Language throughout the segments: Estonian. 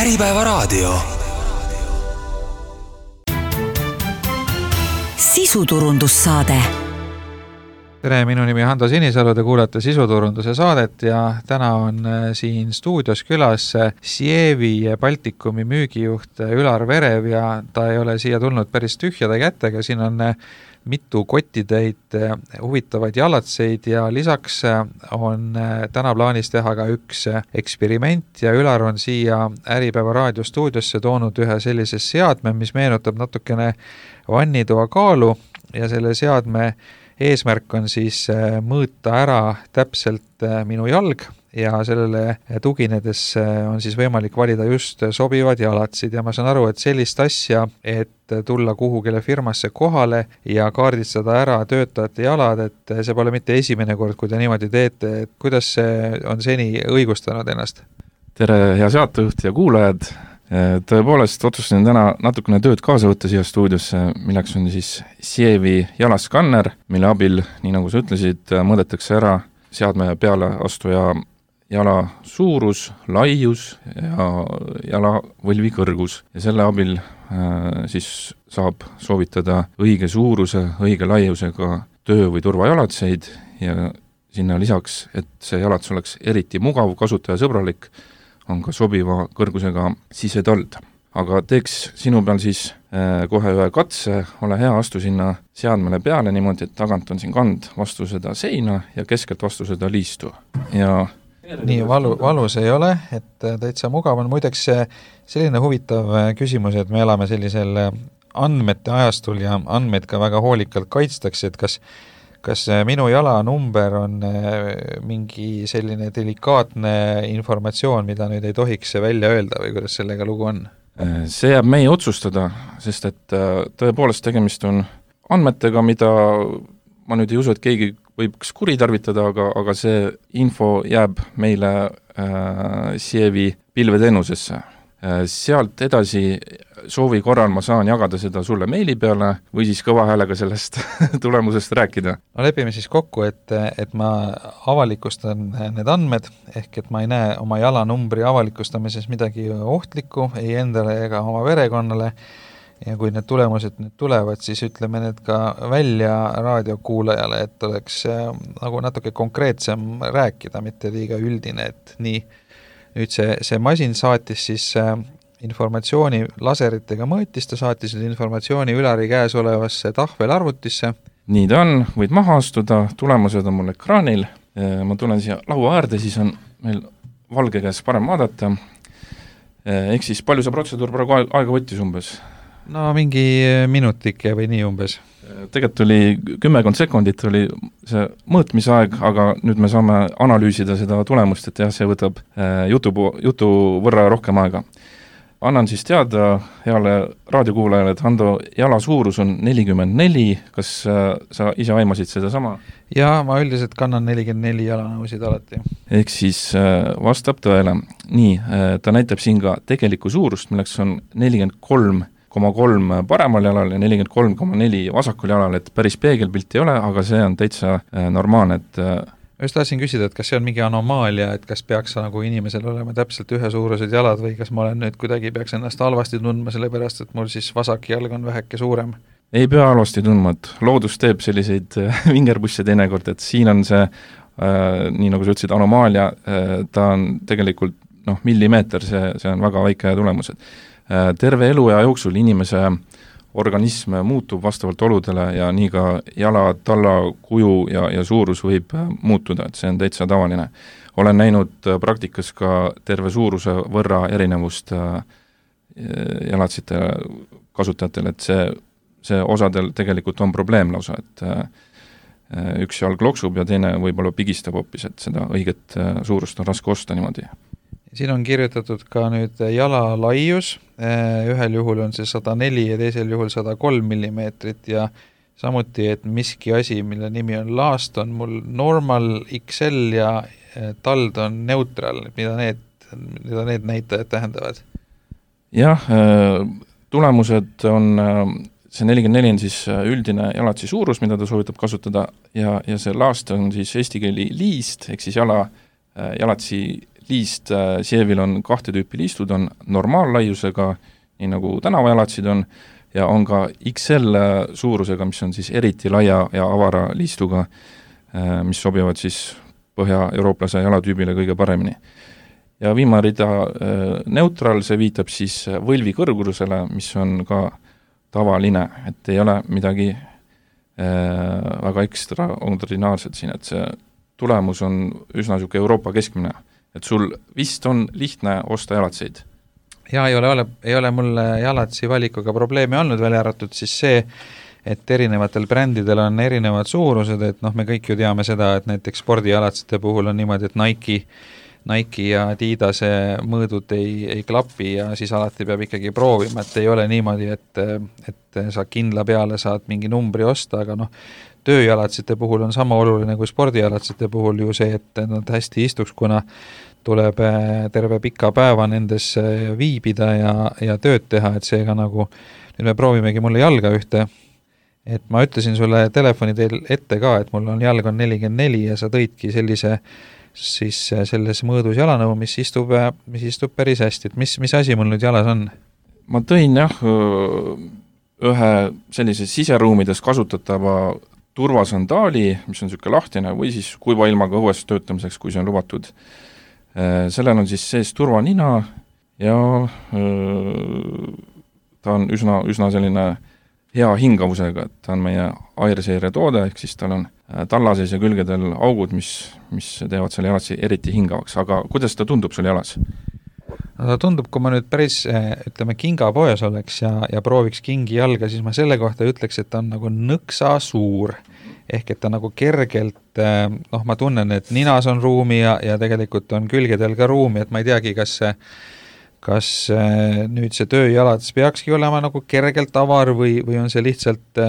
Äripäevaraadio. Sisuturundussaade. Tere, minu nimi on Hando Sinisalu, te kuulate Sisuturunduse saadet ja täna on siin stuudios külas Sievi Baltikumi müügijuht Ülar Verev ja ta ei ole siia tulnud päris tühjade kätega, siin on mitu kotitäit huvitavaid jalatseid ja lisaks on täna plaanis teha ka üks eksperiment ja Ülar on siia Äripäeva raadio stuudiosse toonud ühe sellise seadme, mis meenutab natukene vannitoa kaalu ja selle seadme eesmärk on siis mõõta ära täpselt minu jalg ja sellele tuginedes on siis võimalik valida just sobivad jalatsid ja ma saan aru, et sellist asja, et tulla kuhugile firmasse kohale ja kaardistada ära töötajate jalad, et see pole mitte esimene kord, kui te niimoodi teete, et kuidas see on seni õigustanud ennast? Tere, hea saatejuht ja kuulajad! Tõepoolest otsustasin täna natukene tööd kaasa võtta siia stuudiosse, milleks on siis Sievi jalaskanner, mille abil, nii nagu sa ütlesid, mõõdetakse ära seadme peale astuja jala suurus, laius ja jalavõlvi kõrgus. Ja selle abil siis saab soovitada õige suuruse, õige laiusega töö- või turvajalatseid ja sinna lisaks, et see jalats oleks eriti mugav, kasutajasõbralik, on ka sobiva kõrgusega sisetald. Aga teeks sinu peal siis kohe ühe katse, ole hea, astu sinna seadmele peale niimoodi, et tagant on siin kand vastu seda seina ja keskelt vastu seda liistu. Ja nii valus ei ole, et täitsa mugav on. Muideks selline huvitav küsimus, et me elame sellisel andmete ajastul ja andmeid ka väga hoolikalt kaitstakse, et kas minu jalanumber on mingi selline delikaatne informatsioon, mida nüüd ei tohiks välja öelda või kuidas sellega lugu on? See jääb meie otsustada, sest et tõepoolest tegemist on andmetega, mida ma nüüd ei usu, et keegi võiks kuritarvitada, aga see info jääb meile Sievi pilveteenusesse. Sealt edasi soovi korral ma saan jagada seda sulle meili peale või siis kõva häälega sellest tulemusest rääkida. No lepime siis kokku, et ma avalikustan need andmed, ehk et ma ei näe oma jalanumbri avalikustamises midagi ohtlikku, ei endale ega oma verekonnale ja kui need tulemused nüüd tulevad, siis ütleme need ka välja raadiokuulajale, et oleks nagu natuke konkreetsem rääkida, mitte liiga üldine, et nii. Nüüd see masin saatis siis informatsiooni laseritega mõõtis, ta saatis informatsiooni Ülari käes olevasse tahvelarvutisse. Nii ta on, võid maha astuda, tulemused on mul ekraanil. Ma tulen siia laua äärde, siis on meil valge käes parem vaadata. Ehk siis palju see protseduur praegu aega võttis umbes? No mingi minutike või nii umbes. Tegelikult oli 10 sekundit oli see mõõtmisaeg, aga nüüd me saame analüüsida seda tulemust, et jah, see võtab jutu võrra rohkem aega. Annan siis teada heale raadiokuulajale, et Hando jala suurus on 44, kas sa ise aimasid seda sama? Jaa, ma üldiselt kannan 44 jalanõusid alati. Ehk siis vastab tõele. Nii, ta näitab siin ka tegelikku suurust, milleks on 43,3 paremal jalal ja 43,4 vasakul jalal, et päris peegelpilt ei ole, aga see on täitsa normaalne, et just tahtsin küsida, et kas see on mingi anomaalia, et kas peaks nagu inimesel olema täpselt ühesuurused jalad või kas ma olen nüüd kuidagi peaks ennast halvasti tundma, sellepärast et mul siis vasak jalg on väheke suurem? Ei pea halvasti tundma, et loodus teeb selliseid vingerbusse teinekord, et siin on see, nii nagu sa ütlesid, anomaalia, ta on tegelikult millimeeter, see on väga väike tulemused. Terve eluea jooksul inimese organism muutub vastavalt oludele ja nii ka jala, talla, kuju ja suurus võib muutuda, et see on täitsa tavaline. Olen näinud praktikas ka terve suuruse võrra erinevust jalatsite kasutajatel, et see osadel tegelikult on probleem lausa, et üks jalg loksub ja teine võib-olla pigistab hoopis, et seda õiget suurust on raske osta niimoodi. Siin on kirjutatud ka nüüd jala laius, ühel juhul on see 104 ja teisel juhul 103 millimeetrit ja samuti, et miski asi, mille nimi on last, on mul normal XL ja tald on neutral, mida need näitajad tähendavad? Jah, tulemused on, see 44 on siis üldine jalatsi suurus, mida ta soovitab kasutada ja see last on siis eesti keeli liist, ehk siis jalatsi liist Sievil on 2 tüüpi liistud, on normaallaiusega, nii nagu tänavajalatsid on, ja on ka XL suurusega, mis on siis eriti laia ja avara liistuga, mis sobivad siis põhja-eurooplase jalatüübile kõige paremini. Ja viimane rida neutral, see viitab siis võlvi kõrgusele, mis on ka tavaline, et ei ole midagi väga ekstraordinaarset siin, et see tulemus on üsna niisugune Euroopa keskmine, et sul vist on lihtne osta jalatseid. Ja ei ole mul jalatsi valikuga probleemi olnud, välja arvatud siis see, et erinevatel brändidel on erinevad suurused, et me kõik ju teame seda, et näiteks spordijalatsite puhul on niimoodi, et Nike ja Adidase mõõdud ei klapi ja siis alati peab ikkagi proovima, et ei ole niimoodi, et sa kindla peale saad mingi numbri osta, aga tööjalatsite puhul on sama oluline kui spordijalatsite puhul ju see, et nad hästi istuks, kuna tuleb terve pika päeva nendes viibida ja tööd teha, et seega nüüd me proovimegi mulle jalga ühte, et ma ütlesin sulle telefoni teel ette ka, et mul on jalg on 44 ja sa tõidki siis selles mõõdus jalanõu, mis istub päris hästi, et mis asi mul nüüd jalas on? Ma tõin ühe sellise siseruumides kasutatava turvasandaali, mis on niisugune lahtine või siis kuiva ilmaga õues töötamiseks, kui see on lubatud. Sellel on siis sees turvanina ja ta on üsna selline hea hingavusega, et ta on meie airseire toode, ehk siis tal on tallases ja külgedel augud, mis teevad selle jalatsi eriti hingavaks, aga kuidas ta tundub sul jalas? No ta tundub, kui ma nüüd päris, kingapoes oleks ja prooviks kingi jalga, siis ma selle kohta ütleks, et ta on nagu nõksa suur, ehk et ta nagu kergelt, ma tunnen, et ninas on ruumi ja tegelikult on külgedel ka ruumi, et ma ei teagi, kas nüüd see tööjalats peakski olema nagu kergelt avar või on see lihtsalt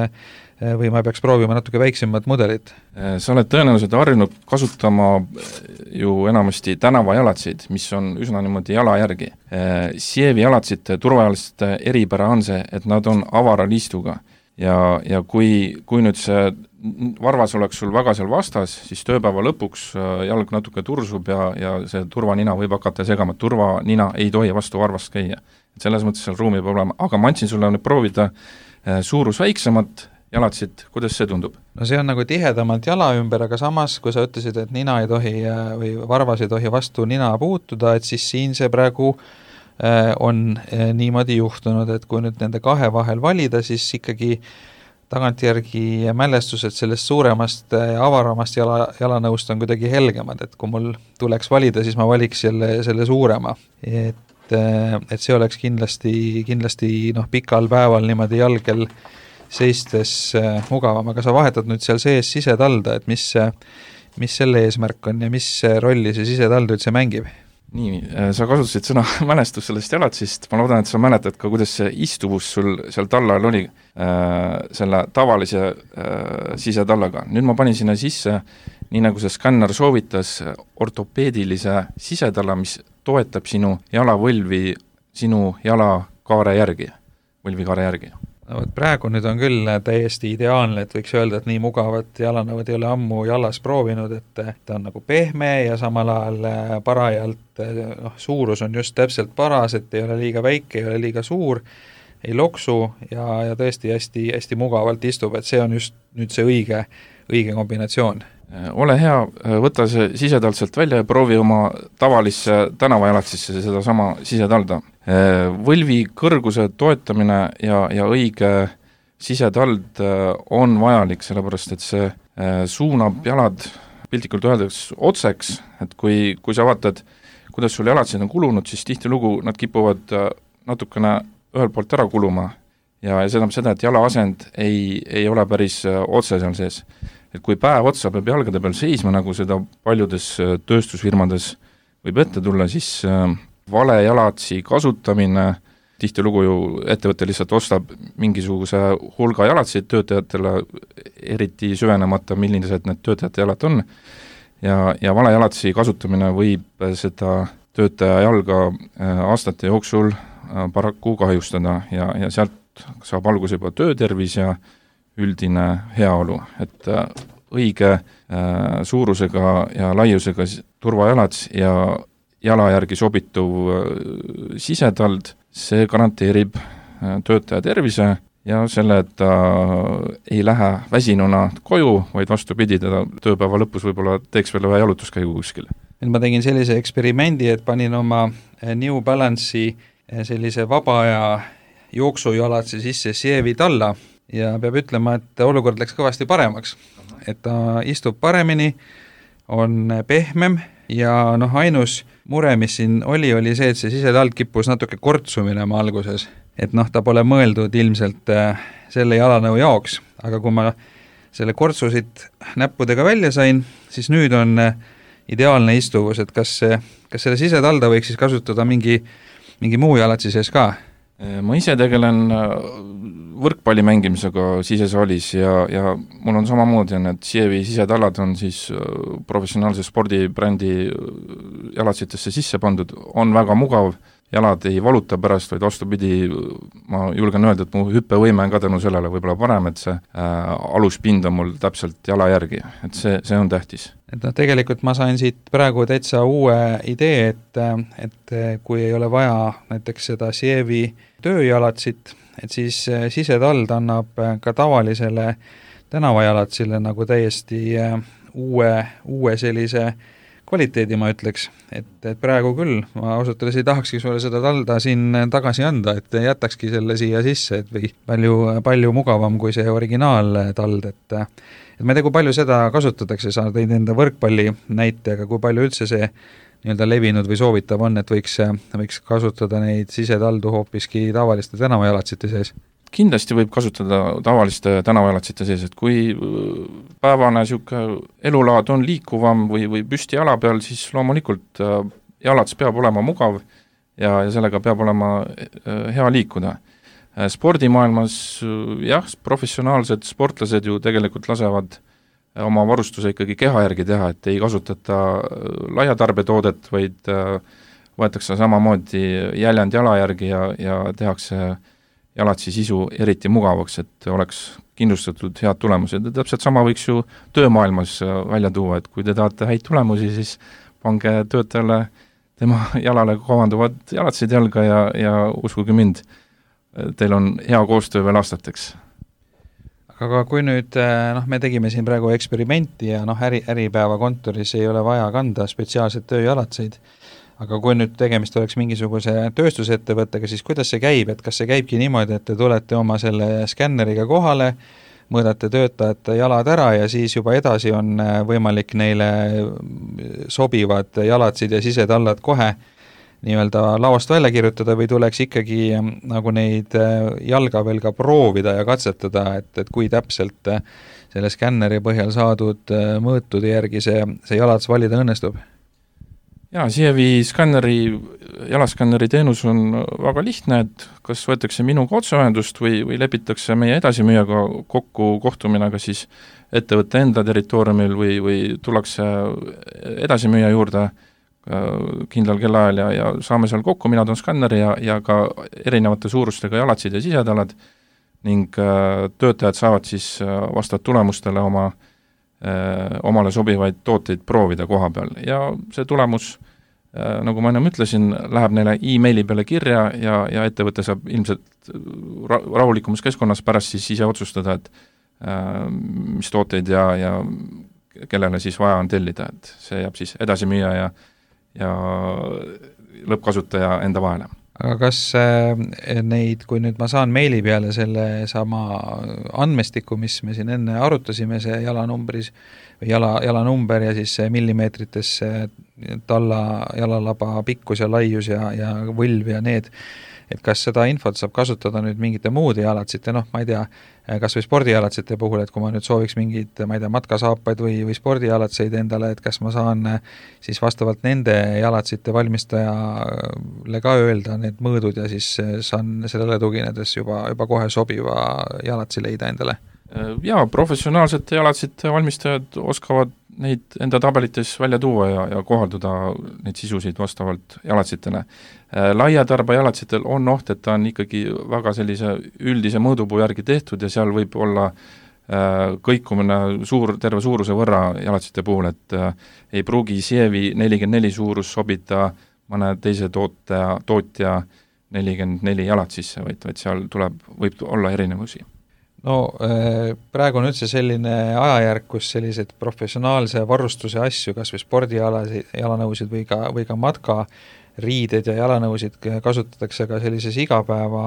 või ma peaks proovima natuke väiksemad mudelid? Sa oled tõenäoliselt harjunud kasutama ju enamasti tänavajalatsid, mis on üsna niimoodi jala järgi. Sievi jalatsite turvajaliste eripära on see, et nad on avara liistuga ja kui nüüd see varvas oleks sul väga seal vastas, siis tööpäeva lõpuks jalg natuke tursub ja see turvanina võib hakata segama, turvanina ei tohi vastu varvast käia. Et selles mõttes seal ruumi peab olema, aga ma andsin sulle nüüd proovida suurus väiksemat jalatsid, kuidas see tundub? No see on nagu tihedamalt jala ümber, aga samas, kui sa ütlesid, et nina ei tohi või varvas ei tohi vastu nina puutuda, et siis siin see praegu on niimoodi juhtunud, et kui nüüd nende kahe vahel valida, siis ikkagi tagantjärgi mälestused sellest suuremast avaramast jalanõust on kuidagi helgemad, et kui mul tuleks valida, siis ma valiks selle suurema. Et see oleks kindlasti pikal päeval niimoodi jalgel seistes mugavam, aga sa vahetad nüüd seal sees sisetalda, et mis selle eesmärk on ja mis rolli see sisetald üldse mängib? Nii, sa kasutasid sõna mälestus sellest jalatsist, ma loodan, et sa mäletad ka, kuidas see istuvus sul seal tallal oli selle tavalise sisetallaga. Nüüd ma panin sinna sisse, nii nagu see skänner soovitas, ortopeedilise sisetalla, mis toetab sinu jalavõlvi sinu jalakaare järgi, võlvikaare järgi. No, praegu nüüd on küll täiesti ideaalne, et võiks öelda, et nii mugavat jalanõud ei ole ammu jalas proovinud, et ta on nagu pehme ja samal ajal parajalt, suurus on just täpselt paras, et ei ole liiga väike, ei ole liiga suur, ei loksu ja tõesti hästi mugavalt istub, et see on just nüüd see õige kombinatsioon. Ole hea, võta see sisetald sealt välja ja proovi oma tavalisse tänavajalatsisse seda sama sisetalda. Võlvi kõrguse toetamine ja õige sisetald on vajalik, sellepärast et see suunab jalad piltlikult öeldes otseks, et kui sa vaatad, kuidas sul jalatsid on kulunud, siis tihtilugu nad kipuvad natukene ühelt poolt ära kuluma ja see tähendab seda, et jala asend ei ole päris otse seal sees. Et kui päev otsa peab jalgade peal seisma, nagu seda paljudes tööstusfirmades võib ette tulla, siis vale jalatsi kasutamine, tihtilugu ju ettevõte lihtsalt ostab mingisuguse hulga jalatsid töötajatele, eriti süvenemata, millised need töötajate jalad on, ja vale jalatsi kasutamine võib seda töötaja jalga aastate jooksul paraku kahjustada ja sealt saab alguse juba töötervis ja üldine heaolu, et õige suurusega ja laiusega turvajalats ja jala järgi sobituv sisetald, see garanteerib töötaja tervise ja selle, et ta ei lähe väsinuna koju, vaid vastupidi, teda tööpäeva lõpus võib-olla teeks veel ühe jalutuskäigu kuskil. Nüüd ma tegin sellise eksperimendi, et panin oma New Balance'i sellise vaba aja jooksujalatsi sisse Sievi talla ja peab ütlema, et olukord läks kõvasti paremaks. Et ta istub paremini, on pehmem ja ainus mure, mis siin oli see, et see sisetald kippus natuke kortsu minema alguses. Et ta pole mõeldud ilmselt selle jalanõu jaoks, aga kui ma selle kortsu siit näppudega välja sain, siis nüüd on ideaalne istuvus, et kas selle sisetalda võiks siis kasutada mingi muu jalatsi sees ka? Ma ise tegelen võrkpalli mängimisega sisesaalis ja mul on samamoodi, et Sievi sisetallad on siis professionaalse spordibrändi jalatsitesse sisse pandud, on väga mugav, jalad ei valuta pärast, vaid vastupidi, ma julgen öelda, et mu hüppevõime on ka tänu sellele võib-olla parem, et see aluspind on mul täpselt jala järgi, et see on tähtis. Et tegelikult ma sain siit praegu täitsa uue idee, et kui ei ole vaja näiteks seda Sievi tööjalatsit, et siis sisetald annab ka tavalisele tänavajalatsile nagu täiesti uue sellise kvaliteedi, ma ütleks, et praegu küll, ma ausalt öeldes ei tahakski sulle seda talda siin tagasi anda, et jätakski selle siia sisse, et või palju mugavam kui see originaaltald, et ma ei tea, kui palju seda kasutatakse, sa tõid enda võrkpalli näite, aga kui palju üldse see nii-öelda levinud või soovitav on, et võiks kasutada neid sisetaldu hoopiski tavaliste tänavajalatsite sees? Kindlasti võib kasutada tavaliste tänavajalatsite sees, et kui päevane elulaad on liikuvam või püsti jala peal, siis loomulikult jalats peab olema mugav ja sellega peab olema hea liikuda. Spordimaailmas professionaalsed sportlased ju tegelikult lasevad oma varustuse ikkagi keha järgi teha, et ei kasutata laiatarbetoodet, vaid võetakse samamoodi jäljend jala järgi ja tehakse jalatsi sisu eriti mugavaks, et oleks kindlustatud head tulemused. Ja täpselt sama võiks ju töömaailmas välja tuua, et kui te tahate häid tulemusi, siis pange töötajale tema jalale kohanduvad jalatsid jalga ja uskuge mind, teil on hea koostöö veel aastateks. Aga kui nüüd, me tegime siin praegu eksperimenti ja äripäeva kontoris ei ole vaja kanda spetsiaalset tööjalatseid, aga kui nüüd tegemist oleks mingisuguse tööstusettevõttega, siis kuidas see käib, et kas see käibki niimoodi, et te tulete oma selle skänneriga kohale, mõõdate töötajate jalad ära ja siis juba edasi on võimalik neile sobivad jalatsid ja sisetallad kohe nii-öelda lauast välja kirjutada või tuleks ikkagi nagu neid jalga veel ka proovida ja katsetada, et kui täpselt selle skänneri põhjal saadud mõõtude järgi see jalats valida õnnestub? Jaa, Sievi jalaskanneri teenus on väga lihtne, et kas võetakse minuga otseühendust või lepitakse meie edasimüüjaga kokku kohtumine ka siis ettevõtte enda territooriumil või tullakse edasimüüja juurde kindlal kellaajal ja saame seal kokku, mina toon skanneri ja ka erinevate suurustega jalatsid ja sisetallad ning töötajad saavad siis vastavalt tulemustele omale sobivaid tooteid proovida koha peal ja see tulemus, nagu ma ennem ütlesin, läheb neile e-maili peale kirja ja ettevõte saab ilmselt rahulikumas keskkonnas pärast siis ise otsustada, et mis tooteid ja kellele siis vaja on tellida, et see jääb siis edasimüüja ja lõppkasutaja enda vahele. Aga kas neid, kui nüüd ma saan meili peale selle sama andmestiku, mis me siin enne arutasime, see jalanumbris või jalanumber ja siis see millimeetrites jalalaba pikkus ja laius ja võlv ja need, et kas seda infot saab kasutada nüüd mingite muude jalatsite, ma ei tea, kas või spordijalatsite puhul, et kui ma nüüd sooviks mingid, ma ei tea, matkasaapaid või spordijalatseid endale, et kas ma saan siis vastavalt nende jalatsite valmistajale ka öelda need mõõdud ja siis saan sellele tuginedes juba kohe sobiva jalatsi leida endale? Jaa, professionaalsete jalatsite valmistajad oskavad neid enda tabelites välja tuua ja kohalduda neid sisusid vastavalt jalatsitele. Laiatarba jalatsitel on oht, et ta on ikkagi väga sellise üldise mõõdupuu järgi tehtud ja seal võib olla kõikumine terve suuruse võrra jalatsite puhul, et ei pruugi Sievi 44 suurus sobida mõne teise tootja 44 jalad sisse, vaid seal võib olla erinevusi. No praegu on üldse selline ajajärk, kus sellised professionaalse varustuse asju, kas või jalanõusid või ka matkariided ja jalanõusid kasutatakse ka sellises igapäeva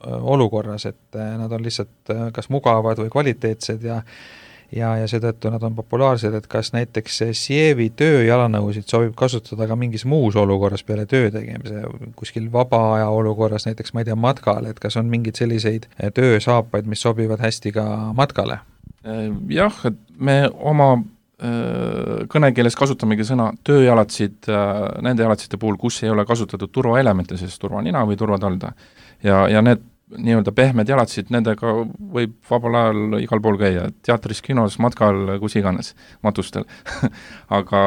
olukorras, et nad on lihtsalt kas mugavad või kvaliteetsed ja seetõttu nad on populaarsed, et kas näiteks Sievi tööjalanõusid sobib kasutada ka mingis muus olukorras peale töö tegemise, kuskil vaba aja olukorras, näiteks ma ei tea, matkal, et kas on mingeid selliseid töösaapaid, mis sobivad hästi ka matkale? Jah, et me oma kõnekeeles kasutamegi sõna tööjalatsid nende jalatsite puhul, kus ei ole kasutatud turvaelemente, sest turvanina või turvatalda. Ja need nii-öelda pehmed jalatsid, nendega võib vabal ajal igal pool käia, teatris, kinos, matkal, kus iganes, matustel aga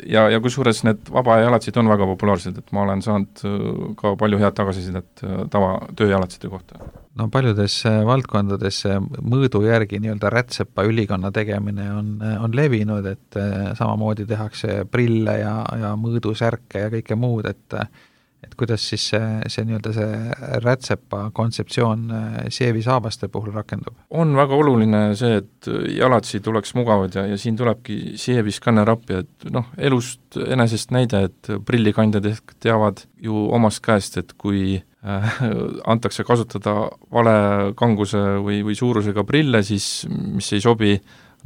ja kusjuures need vaba jalatsid on väga populaarsed, et ma olen saanud ka palju head tagasisidet tava tööjalatside kohta. No paljudes valdkondades mõõdu järgi nii-öelda rätsepa ülikonna tegemine on levinud, et samamoodi tehakse prille ja mõõdusärke ja kõike muud, et kuidas siis see nii-öelda see rätsepa kontseptsioon Sievi saabaste puhul rakendub? On väga oluline see, et jalatsid oleks mugavad ja siin tulebki Sievi skanner appi, et elust enesest näide, et prillikandjad ehk teavad ju omast käest, et kui antakse kasutada vale kanguse või suurusega prille, siis mis ei sobi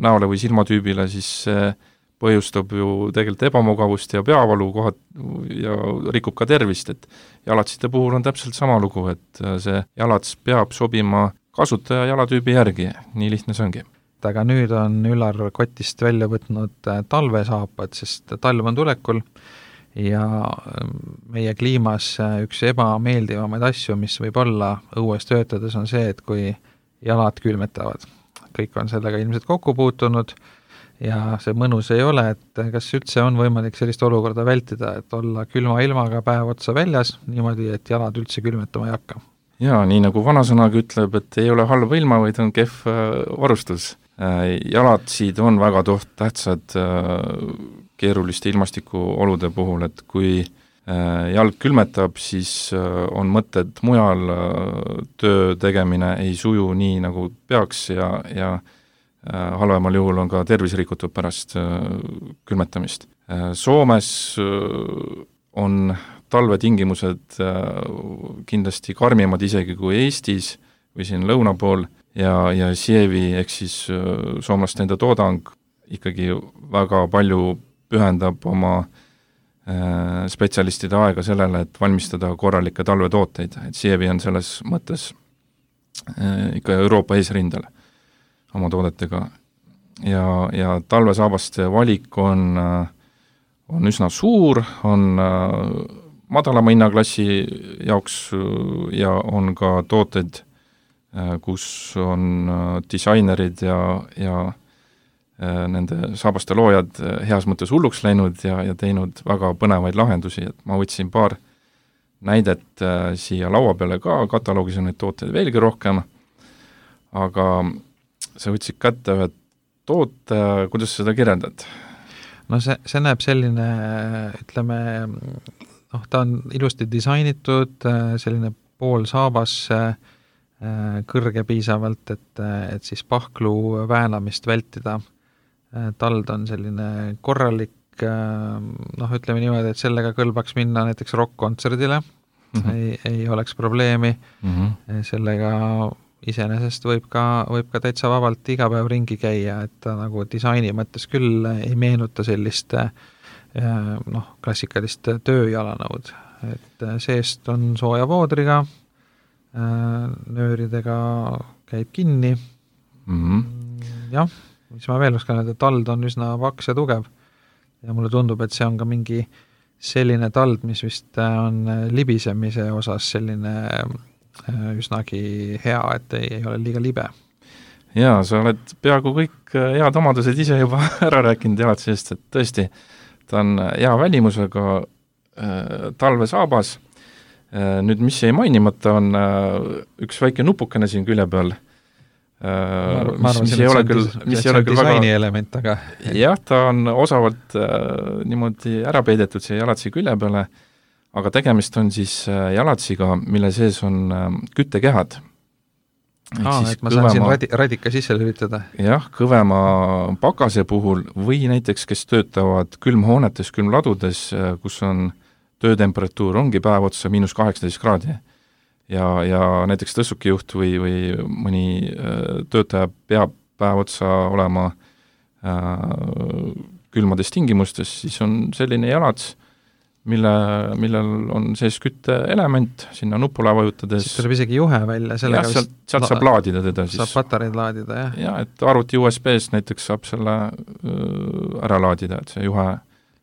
näole või silmatüübile, siis põhjustab ju tegelikult ebamugavust ja peavalu kohad ja rikub ka tervist, et jalatsite puhul on täpselt sama lugu, et see jalats peab sobima kasutaja jalatüübi järgi, nii lihtne see ongi. Aga nüüd on Üllar kotist välja võtnud talvesaapad, sest talv on tulekul ja meie kliimas üks ebameeldivamaid asju, mis võib olla õues töötades, on see, et kui jalad külmetavad. Kõik on sellega ilmselt kokku puutunud ja see mõnus ei ole, et kas üldse on võimalik sellist olukorda vältida, et olla külma ilmaga päev otsa väljas, niimoodi, et jalad üldse külmetama ei hakka? Jaa, nii nagu vanasõnagi ütleb, et ei ole halva ilma, vaid on kehv varustus. Jalatsid on väga tähtsad keeruliste ilmastikuolude puhul, et kui jalg külmetab, siis on mõtted mujal, töö tegemine ei suju nii, nagu peaks ja halvemal juhul on ka tervis rikutud pärast külmetamist. Soomes on talvetingimused kindlasti karmimad isegi kui Eestis või siin lõuna pool ja Sievi ehk siis soomlaste enda toodang ikkagi väga palju pühendab oma spetsialistide aega sellele, et valmistada korralikke talvetooteid, et Sievi on selles mõttes ikka Euroopa eesrindel oma toodetega ja talvesaabaste valik on üsna suur, on madalama hinnaklassi jaoks ja on ka tooted, kus on disainerid ja nende saabaste loojad heas mõttes hulluks läinud ja teinud väga põnevaid lahendusi, et ma võtsin paar näidet siia laua peale ka, kataloogis on neid tooteid veelgi rohkem, aga sa võtsid kätte ühe toote, kuidas seda kirjeldad? No see näeb selline, ütleme, ta on ilusti disainitud, selline poolsaabas, kõrge piisavalt, et siis pahklu väänamist vältida. Tald on selline korralik, ütleme niimoodi, et sellega kõlbaks minna näiteks rock-kontserdile, ei oleks probleemi, sellega iseenesest võib ka täitsa vabalt iga päev ringi käia, et ta nagu disaini mõttes küll ei meenuta sellist klassikalist tööjalanõud, et seest on sooja voodriga, nööridega käib kinni, jah, mis ma veel oskan öelda, tald on üsna paks ja tugev ja mulle tundub, et see on ka mingi selline tald, mis vist on libisemise osas selline üsnagi hea, et ei ole liiga libe. Jaa, sa oled peaaegu kõik head omadused ise juba ära rääkinud jalatsist, et tõesti, ta on hea välimusega talvesaabas. Nüüd, mis jäi mainimata, on üks väike nupukene siin külje peal, mis ei ole küll disaini element, aga jah, ta on osavalt niimoodi ära peidetud siia jalatsi külje peale aga tegemist on siis jalatsiga, mille sees on küttekehad. Et ma saan siin radika sisse lülitada. Jah, kõvema pakase puhul või näiteks, kes töötavad külmhoonetes, külmladudes, kus on töötemperatuur ongi päev otsa -18 kraadi ja näiteks tõssukijuht või mõni töötaja peab päev otsa olema külmades tingimustes, siis on selline jalats, millel on sees kütteelement, sinna nupule vajutades. Siis tuleb isegi juhe välja. Sealt saab laadida teda siis. Saab patareid laadida, jah? Ja, et arvuti USB-st näiteks saab selle ära laadida, et see juhe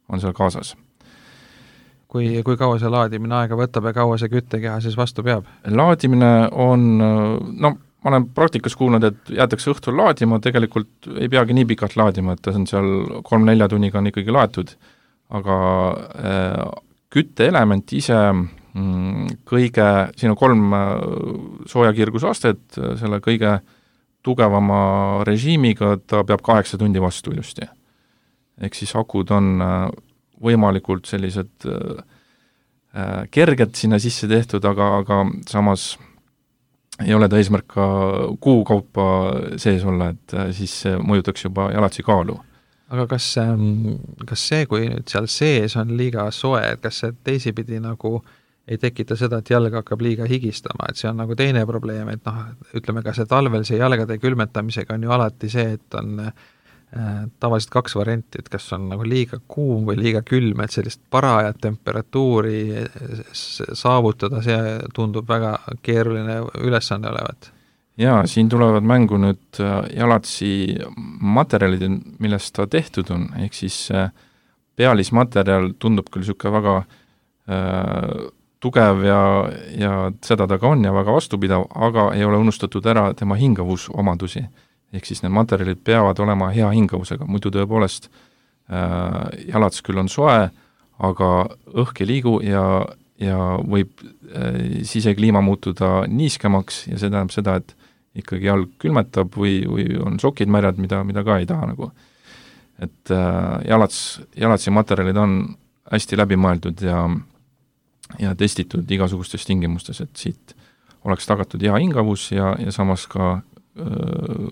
on seal kaasas. Kui kaua see laadimine aega võtab ja kaua see küttekeha siis vastu peab? Laadimine on, ma olen praktikas kuulnud, et jäetakse õhtul laadima, tegelikult ei peagi nii pikalt laadima, et ta on seal 3-4 tunniga on ikkagi laetud, aga kütteelement ise siin on 3 soojakirgusastet, selle kõige tugevama režiimiga ta peab 8 tundi vastu ilusti. Ehk siis akud on võimalikult sellised kerged sinna sisse tehtud, aga samas ei ole ta eesmärk ka kuu kaupa sees olla, et siis mõjutaks juba jalatsi kaalu. Aga kas see, kui nüüd seal sees on liiga soe, et kas see teisipidi nagu ei tekita seda, et jalg hakkab liiga higistama, et see on nagu teine probleem, et ütleme ka see talvel see jalgade külmetamisega on ju alati see, et on tavaliselt 2 varianti, et kas on nagu liiga kuum või liiga külm, et sellist parajat temperatuuri saavutada, see tundub väga keeruline ülesanne olevat. Jaa, siin tulevad mängu nüüd jalatsi materjalid, millest ta tehtud on, ehk siis pealismaterjal tundub küll niisugune väga tugev ja seda ta ka on ja väga vastupidav, aga ei ole unustatud ära tema hingavusomadusi. Ehk siis need materjalid peavad olema hea hingavusega, muidu tõepoolest jalats küll on soe, aga õhk ei liigu ja võib sisekliima muutuda niiskemaks ja see tähendab seda, et ikkagi jalg külmetab või on sokid märjad, mida ka ei taha nagu. Et jalatsi materjalid on hästi läbimõeldud ja testitud igasugustes tingimustes, et siit oleks tagatud hea hingavus ja samas ka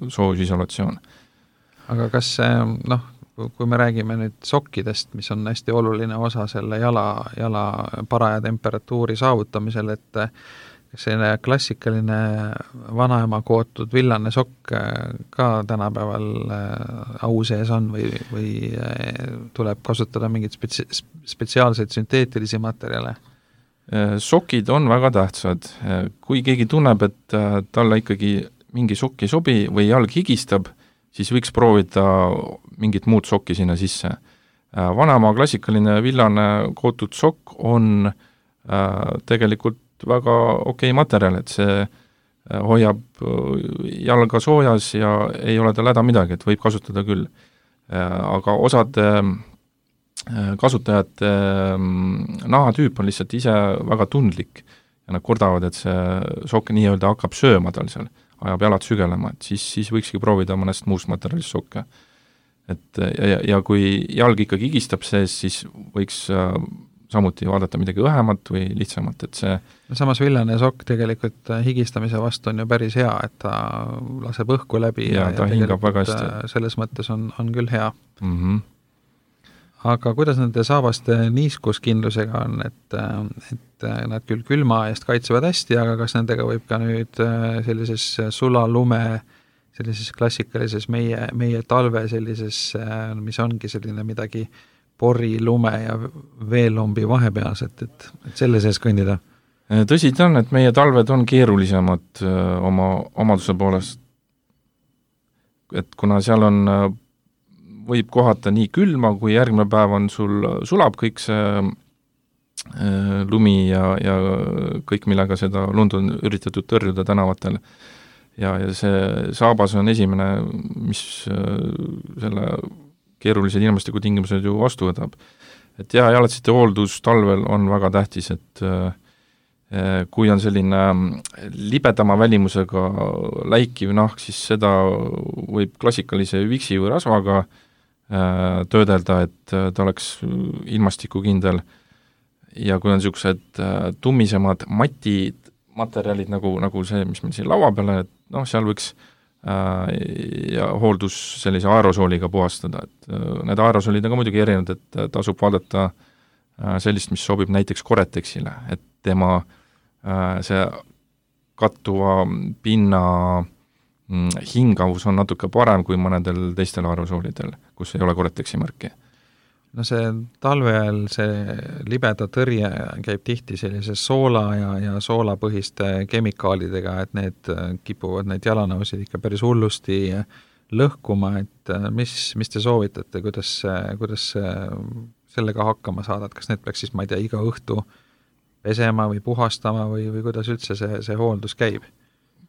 soojusisolatsioon. Aga kas kui me räägime nüüd sokkidest, mis on hästi oluline osa selle jala paraja temperatuuri saavutamisel, et selline klassikaline vanaema kootud villane sokk ka tänapäeval au sees on või tuleb kasutada mingeid spetsiaalseid sünteetilisi materjale? Sokid on väga tähtsad. Kui keegi tunneb, et talle ikkagi mingi sokk ei sobi või jalg higistab, siis võiks proovida mingit muud sokki sinna sisse. Vanaema klassikaline villane kootud sokk on tegelikult väga okei materjal, et see hoiab jalga soojas ja ei ole tal häda midagi, et võib kasutada küll. Aga osad kasutajate nahatüüp on lihtsalt ise väga tundlik ja nad kordavad, et see sokk nii-öelda hakkab sööma tal seal, ajab jalad sügelema, et siis võikski proovida mõnest muust materjalist sokke. Et ja kui jalg ikkagi higistab sees, siis võiks samuti vaadata midagi õhemat või lihtsamat, et see samas villane sokk tegelikult higistamise vastu on ju päris hea, et ta laseb õhku läbi ja ta hingab väga hästi. Selles mõttes on küll hea. Mm-hmm. Aga kuidas nende saabaste niiskuskindlusega on, et nad küll külma eest kaitsevad hästi, aga kas nendega võib ka nüüd sellises sulalume, sellises klassikalises meie talve sellises, mis ongi selline midagi pori, lume ja veelombi vahepealset, et selle sees kõndida? Tõsi ta on, et meie talved on keerulisemad oma omaduse poolest, et kuna seal on võib kohata nii külma, kui järgmine päev on sulab kõik see lumi ja kõik, millega seda lund on üritatud tõrjuda tänavatel. Ja see saabas on esimene, mis selle keerulised ilmastiku tingimused ju vastu võtab. Et jalatsite hooldus talvel on väga tähtis, et kui on selline libedama välimusega läikiv nahk, siis seda võib klassikalise viksi või rasvaga töödelda, et ta oleks ilmastikukindel ja kui on niisugused tummisemad matid, materjalid nagu see, mis meil siin laua peal on, et noh, seal võiks ja hooldus sellise aerosooliga puhastada, et need aerosoolid on ka muidugi erinevad, et tasub vaadata sellist, mis sobib näiteks Coretexile, et tema see kattuva pinna hingavus on natuke parem kui mõnedel teistel aerosoolidel, kus ei ole Coretexi märki. No see talve ajal see libeda tõrje käib tihti sellise soola ja soolapõhiste kemikaalidega, et need kipuvad neid jalanõusid ikka päris hullusti lõhkuma, et mis te soovitate, kuidas sellega hakkama saada, et kas need peaks siis, ma ei tea, iga õhtu pesema või puhastama või kuidas üldse see hooldus käib?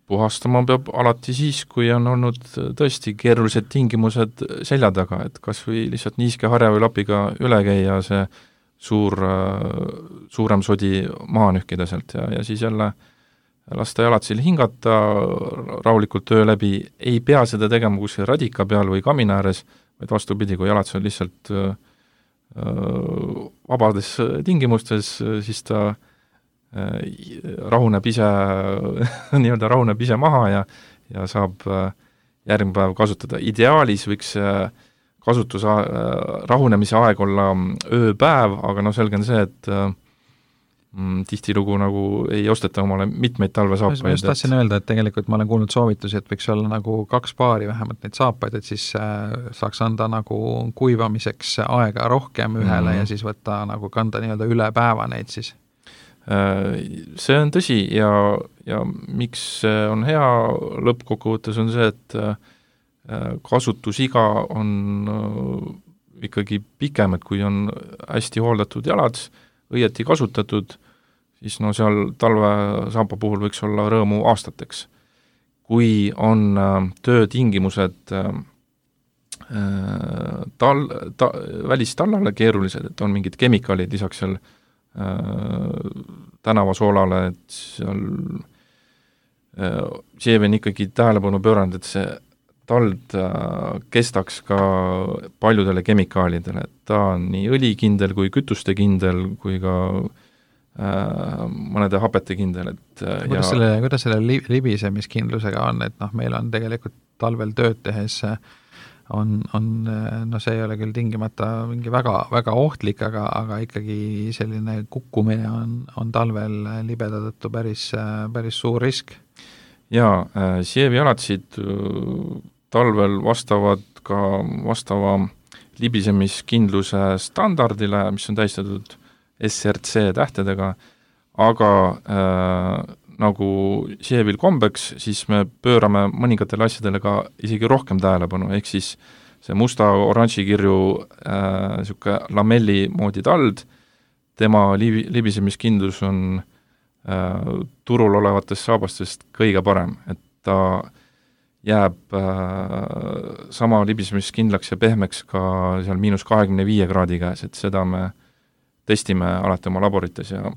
Puhastama peab alati siis, kui on olnud tõesti keerulised tingimused selja taga, et kas või lihtsalt niiske harja või lapiga üle käia, see suurem sodi maha nühkida sealt ja siis jälle lasta jalatsil hingata rahulikult öö läbi, ei pea seda tegema kuskil radika peal või kamina ääres, vaid vastupidi, kui jalats on lihtsalt vabades tingimustes, siis ta rahuneb ise maha ja saab järgmine päev kasutada. Ideaalis võiks rahunemise aeg olla ööpäev, aga noh, selge on see, et tihtilugu nagu ei osteta omale mitmeid talvesaapaid. Ma just tahtsin öelda, et tegelikult ma olen kuulnud soovitusi, et võiks olla nagu 2 paari vähemalt neid saapaid, et siis saaks anda nagu kuivamiseks aega rohkem ühele ja siis võtta nagu kanda nii-öelda üle päeva neid siis. See on tõsi ja miks see on hea lõppkokkuvõttes on see, et kasutusiga on ikkagi pikem, et kui on hästi hooldatud jalad, õieti kasutatud, siis no seal talvesaapa puhul võiks olla rõõmu aastateks. Kui on töötingimused välistallale keerulised, et on mingid kemikaalid lisaks seal tänavasoolale, et seal Sievi on ikkagi tähelepanu pööranud, et see tald kestaks ka paljudele kemikaalidele, et ta on nii õlikindel kui kütustekindel kui ka mõnede hapetekindel, et kuidas selle libisemiskindlusega on, et noh, meil on tegelikult talvel tööd tehes on see ei ole küll tingimata mingi väga, väga ohtlik, aga ikkagi selline kukkumine on talvel libeda tõttu päris suur risk. Jaa, Sievi jalatsid talvel vastavad ka vastava libisemiskindluse standardile, mis on tähistatud SRC tähtedega, aga nagu Sievil kombeks, siis me pöörame mõningatele asjadele ka isegi rohkem tähelepanu, ehk siis see musta-oranži kirju niisugune lamelli moodi tald, tema libisemiskindlus on turul olevatest saabastest kõige parem, et ta jääb sama libisemiskindlaks ja pehmeks ka seal -25 kraadi käes, et seda me testime alati oma laborites ja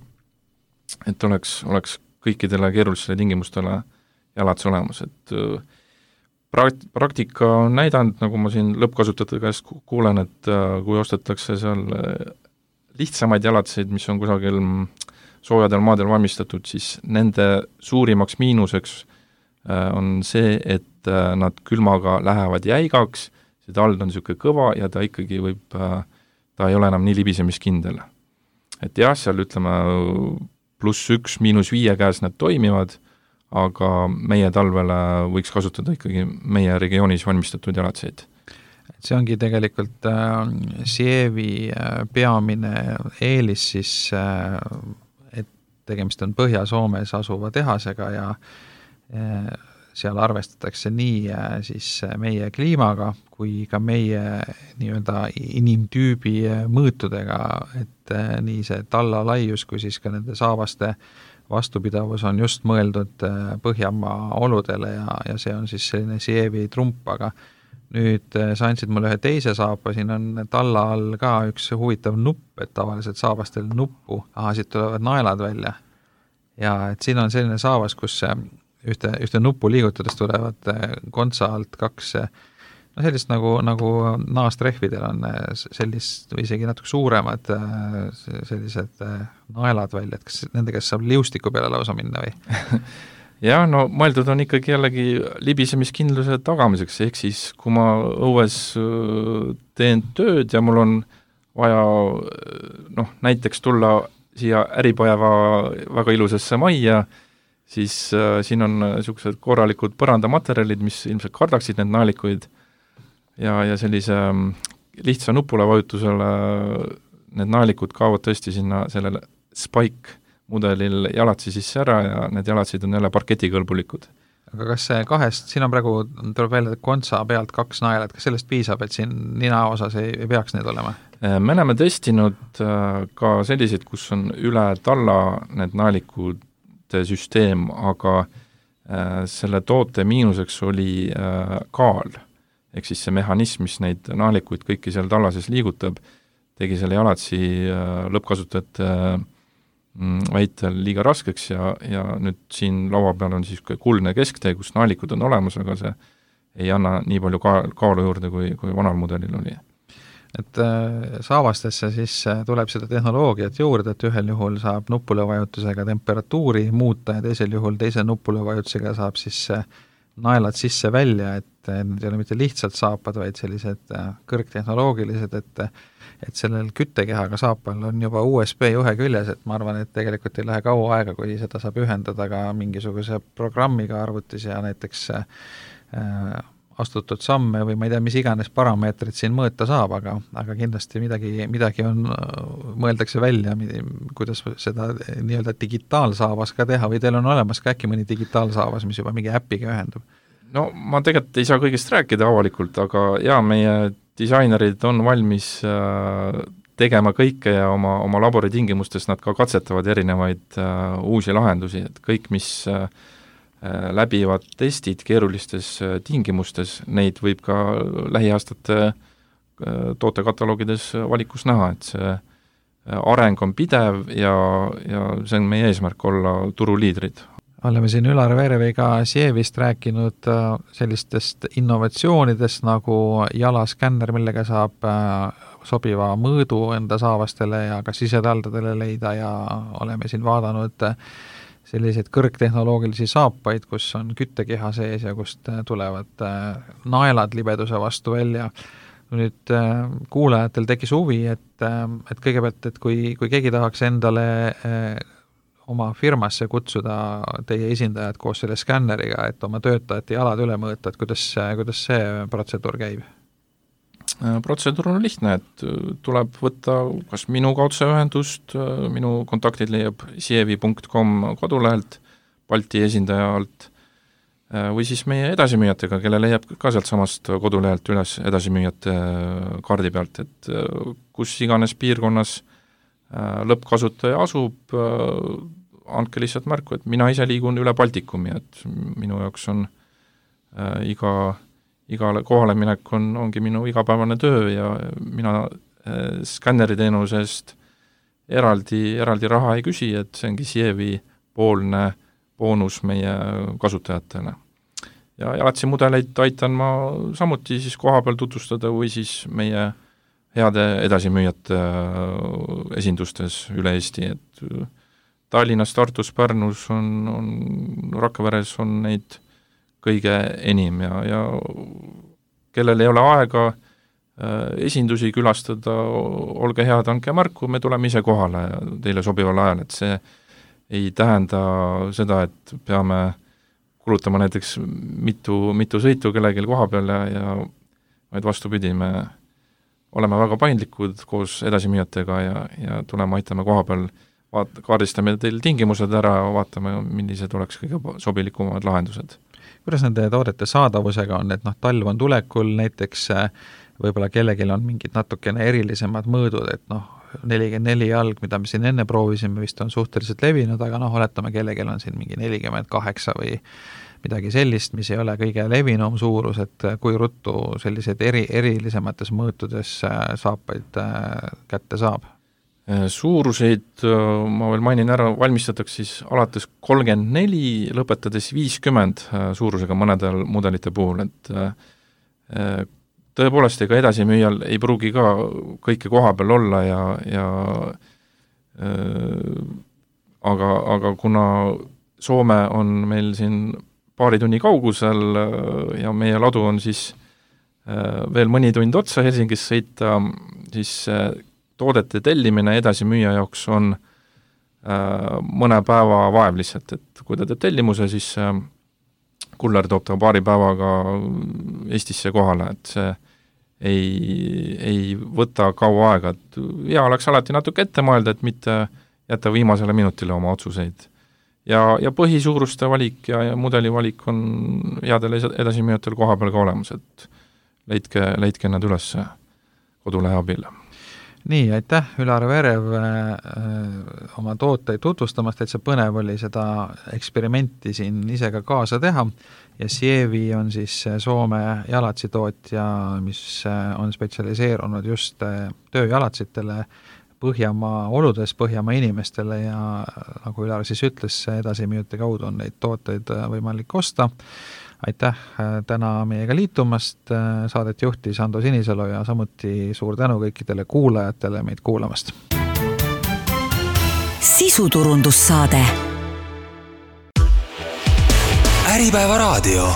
et oleks kõikidele keerulistele tingimustele jalats olemas, et praktika on näidanud, nagu ma siin lõppkasutajate käest kuulen, et kui ostetakse seal lihtsamaid jalatseid, mis on kusagil soojadel maadel valmistatud, siis nende suurimaks miinuseks on see, et nad külmaga lähevad jäigaks, see tald on niisugune kõva ja ta ikkagi ta ei ole enam nii libisemiskindel. Et jah, seal ütleme +1, -5 käes need toimivad, aga meie talvele võiks kasutada ikkagi meie regioonis valmistatud jalatseid. See ongi tegelikult Sievi peamine eelis siis, et tegemist on Põhja-Soomes asuva tehasega ja seal arvestatakse nii siis meie kliimaga kui ka meie nii-öelda inimtüübi mõõtudega, et nii see talla laius kui siis ka nende saavaste vastupidavus on just mõeldud Põhjamaa oludele ja see on siis selline Sievi trump, aga nüüd sa andsid mulle ühe teise saapa, siin on talla all ka üks huvitav nupp, et tavaliselt saabastel nuppu, siit tulevad naelad välja ja et siin on selline saavas, kus ühte nuppu liigutades tulevad kontsa alt 2 no sellist nagu naastrehvidel on sellist või isegi natuke suuremad sellised naelad välja, et kas nendega saab liustiku peale lausa minna või? jah, no mõeldud on ikkagi jällegi libisemiskindluse tagamiseks, ehk siis kui ma õues teen tööd ja mul on vaja näiteks tulla siia Äripäeva väga ilusasse majja, siis siin on niisugused korralikud põrandamaterjalid, mis ilmselt kardaksid need naelikuid ja sellise lihtsa nupule vajutusele need naelikud kaovad tõesti sinna sellele Spike mudelil jalatsi sisse ära ja need jalatsid on jälle parketikõlbulikud. Aga kas see kahest, siin on praegu, tuleb välja kontsa pealt 2 naelat, kas sellest piisab, et siin nina osas ei peaks need olema? Me oleme testinud ka selliseid, kus on üle talla need naelikud süsteem, aga selle toote miinuseks oli kaal, ehk siis see mehhanism, mis neid naalikuid kõiki seal tallases liigutab, tegi selle jalatsi lõppkasutajate väitel liiga raskeks ja nüüd siin laua peal on siis kuldne kesktee, kus naalikud on olemas, aga see ei anna nii palju kaalu juurde, kui vanal mudelil oli. Et saavastesse siis tuleb seda tehnoloogiat juurde, et ühel juhul saab nupulõvajutusega temperatuuri muuta ja teisel juhul teise nupulõvajutusega saab siis naelad sisse välja, et need ei ole mitte lihtsalt saapad, vaid sellised kõrgtehnoloogilised, et sellel küttekehaga saapal on juba USB juhe küljes, et ma arvan, et tegelikult ei lähe kaua aega, kui seda saab ühendada ka mingisuguse programmiga arvutis ja näiteks astutud samme või ma ei tea, mis iganes parameetrid siin mõõta saab, aga kindlasti midagi on, mõeldakse välja, kuidas seda nii-öelda digitaalsaavas ka teha või teil on olemas ka äkki mõni digitaalsaavas, mis juba mingi äpiga ühendub? No ma tegelikult ei saa kõigest rääkida avalikult, aga jaa, meie disainerid on valmis tegema kõike ja oma laboritingimustes nad ka katsetavad erinevaid uusi lahendusi, et kõik, mis läbivad testid keerulistes tingimustes, neid võib ka lähiaastate tootekatalogides valikus näha, et see areng on pidev ja see on meie eesmärk olla turuliidrid. Oleme siin Ülar Vereviga Sievist rääkinud sellistest innovatsioonidest nagu jalaskänner, millega saab sobiva mõõdu enda saavastele ja ka sisetaldadele leida ja oleme siin vaadanud selliseid kõrgtehnoloogilisi saapaid, kus on küttekeha sees ja kust tulevad naelad libeduse vastu välja. Nüüd kuulajatel tekkis huvi, et kõigepealt, et kui keegi tahaks endale oma firmasse kutsuda teie esindajad koos selle skänneriga, et oma töötajate jalad üle mõõta, et kuidas see protseduur käib? Protseduur on lihtne, et tuleb võtta kas minuga otseühendust, minu kontaktid leiab sievi.com kodulehelt, Balti esindaja alt, või siis meie edasimüüjatega, kelle leiab ka sealt samast kodulehelt üles edasimüüjate kaardi pealt, et kus iganes piirkonnas lõppkasutaja asub, andke lihtsalt märku, et mina ise liigun üle Baltikumi, et minu jaoks on igale kohale minek ongi minu igapäevane töö ja mina skänneriteenusest eraldi raha ei küsi, et see ongi Sievi poolne boonus meie kasutajatele. Ja jalatsi mudeleid aitan ma samuti siis kohapeal tutvustada või siis meie heade edasimüüjate esindustes üle Eesti, et Tallinnas, Tartus, Pärnus on Rakveres on neid kõige enim ja kellel ei ole aega esindusi külastada, olge head, andke märku, me tuleme ise kohale teile sobival ajal, et see ei tähenda seda, et peame kulutama näiteks mitu sõitu kellelgi koha peal ja vaid vastupidi, me oleme väga paindlikud koos edasimüüjatega ja tuleme, aitame koha peal, kaardistame teil tingimused ära, vaatame, millised oleks kõige sobilikumad lahendused. Kuidas nende toodete saadavusega on, et talv on tulekul, näiteks võib-olla kellelgi on mingid natukene erilisemad mõõdud, et 44 jalg, mida me siin enne proovisime, vist on suhteliselt levinud, aga oletame, kellelgi on siin mingi 48 või midagi sellist, mis ei ole kõige levinum suurus, et kui ruttu sellised erilisemates mõõtudes saapaid kätte saab? Suuruseid, ma veel mainin ära, valmistatakse siis alates 34, lõpetades 50 suurusega mõnedel mudelite puhul, et tõepoolest, ega edasimüüjal ei pruugi ka kõike koha peal olla ja aga kuna Soome on meil siin paari tunni kaugusel ja meie ladu on siis veel mõni tund otsa Helsingis sõita, siis toodete tellimine edasimüüja jaoks on mõne päeva vaev lihtsalt, et kui ta teeb tellimuse, siis kuller toob ta paari päevaga Eestisse kohale, et see ei võta kaua aega, et hea oleks alati natuke ette mõelda, et mitte jätta viimasele minutile oma otsuseid. Ja põhisuuruste valik ja mudeli valik on headel edasimüüjatel koha peal ka olemas, et leidke nad üles kodulehe abil. Nii, aitäh, Ülar Verev oma tooteid tutvustamast, täitsa põnev oli seda eksperimenti siin ise ka kaasa teha ja Sievi on siis Soome jalatsitootja, mis on spetsialiseerunud just tööjalatsitele Põhjamaa oludes, Põhjamaa inimestele ja nagu Ülar siis ütles, edasimüüjate kaudu on neid tooteid võimalik osta. Aitäh täna meiega liitumast, saadet juhtis Ando Sinisalu ja samuti suur tänu kõikidele kuulajatele meid kuulamast. Sisuturundussaade. Äripäeva raadio.